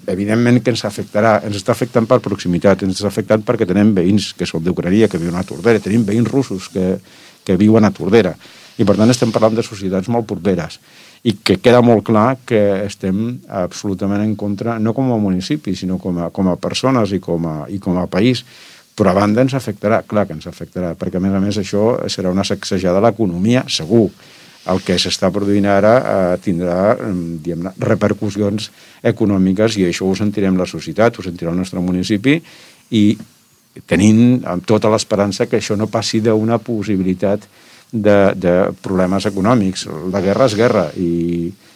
evidentment que ens afectarà, ens està afectant per proximitat, ens està afectant perquè tenim veïns que són d'Ucrània, que viuen a Tordera, tenim veïns russos que viuen a Tordera, i per tant estem parlant de societats molt properes, i que queda molt clar que estem absolutament en contra, no com a municipi, sinó com a persones i com a país, però a banda ens afectarà, clar que ens afectarà, perquè a més això serà una sacsejada a l'economia, segur. El que s'està produint ara tindrà, diguem-ne, repercussions econòmiques i això ho sentirem la societat, ho sentirà el nostre municipi i tenint amb tota l'esperança que això no passi d'una possibilitat de problemes econòmics. La guerra és guerra i